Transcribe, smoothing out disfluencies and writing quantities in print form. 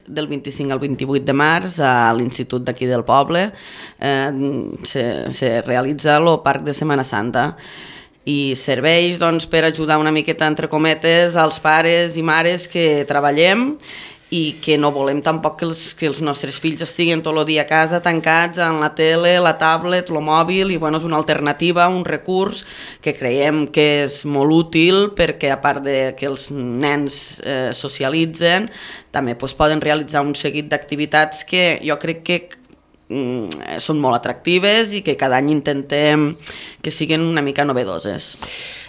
del 25 al 28 de març a l'Institut d'aquí del poble. Se realitza el Parc de Setmana Santa i serveix per ajudar una miqueta, entre cometes, als pares i mares que treballem i que no volem tampoc que els nostres fills estiguin tot el dia a casa tancats en la tele, la tablet, el mòbil, i és una alternativa, un recurs que creiem que és molt útil perquè a part de que els nens socialitzen, també poden realitzar un seguit d'activitats que jo crec que són molt atractives i que cada any intentem que siguin una mica novedoses.